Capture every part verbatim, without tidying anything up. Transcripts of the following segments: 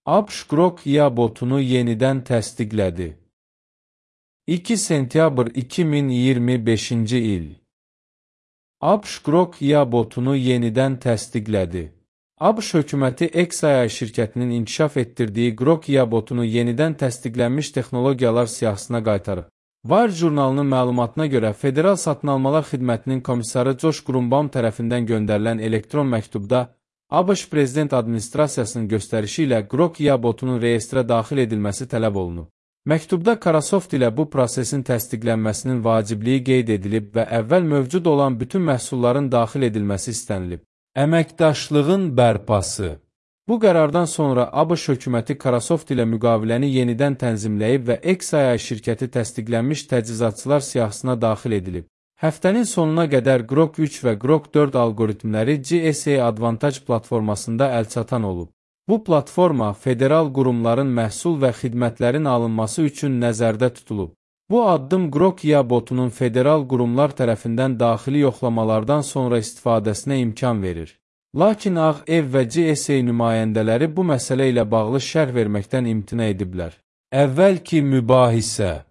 ABŞ Grok I A botunu yenidən təsdiqlədi. iki sentyabr iki min iyirmi beşinci il. ABŞ Grok I A botunu yenidən təsdiqlədi. ABŞ hökuməti xAI şirkətinin inkişaf etdirdiyi Grok I A botunu yenidən təsdiqlənmiş texnologiyalar siyahısına qaytarıb. Wire jurnalının məlumatına görə Federal Satın Almalar Xidmətinin komissarı Josh Grunbaum tərəfindən göndərilən elektron məktubda ABŞ Prezident Administrasiyasının göstərişi ilə Grok I A botunun reyestrə daxil edilməsi tələb olunub. Məktubda Microsoft ilə bu prosesin təsdiqlənməsinin vacibliyi qeyd edilib və əvvəl mövcud olan bütün məhsulların daxil edilməsi istənilib. Əməkdaşlığın bərpası. Bu qərardan sonra ABŞ hökuməti Microsoft ilə müqaviləni yenidən tənzimləyib və xAI şirkəti təsdiqlənmiş təchizatçılar siyahısına daxil edilib. Həftənin sonuna qədər Grok üç və Grok dörd algoritmləri G S A Advantage platformasında əlçatan olub. Bu platforma federal qurumların məhsul və xidmətlərin alınması üçün nəzərdə tutulub. Bu addım Grok I A botunun federal qurumlar tərəfindən daxili yoxlamalardan sonra istifadəsinə imkan verir. Lakin Ağ Ev və G S A nümayəndələri bu məsələ ilə bağlı şərh verməkdən imtina ediblər. Əvvəlki mübahisə.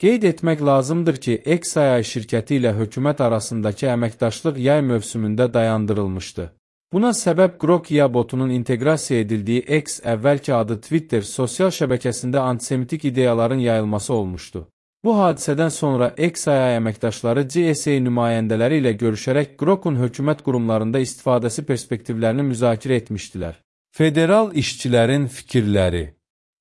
Qeyd etmək lazımdır ki, xAI şirkəti ilə hökumət arasındakı əməkdaşlıq yay mövsümündə dayandırılmışdı. Buna səbəb Grok I A botunun inteqrasiya edildiyi X, əvvəlki adı Twitter, sosial şəbəkəsində antisemitik ideyaların yayılması olmuşdu. Bu hadisədən sonra xAI əməkdaşları G S A nümayəndələri ilə görüşərək Grokun hökumət qurumlarında istifadəsi perspektivlərini müzakirə etmişdilər. Federal işçilərin fikirləri.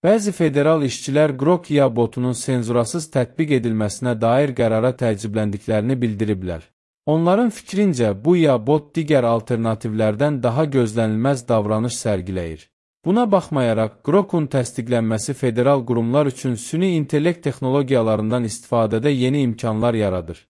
Bəzi federal işçilər Grok I A botunun senzurasız tətbiq edilməsinə dair qərara təəccübləndiklərini bildiriblər. Onların fikrincə, bu I A bot digər alternativlərdən daha gözlənilməz davranış sərgiləyir. Buna baxmayaraq, Grokun təsdiqlənməsi federal qurumlar üçün süni intellekt texnologiyalarından istifadədə yeni imkanlar yaradır.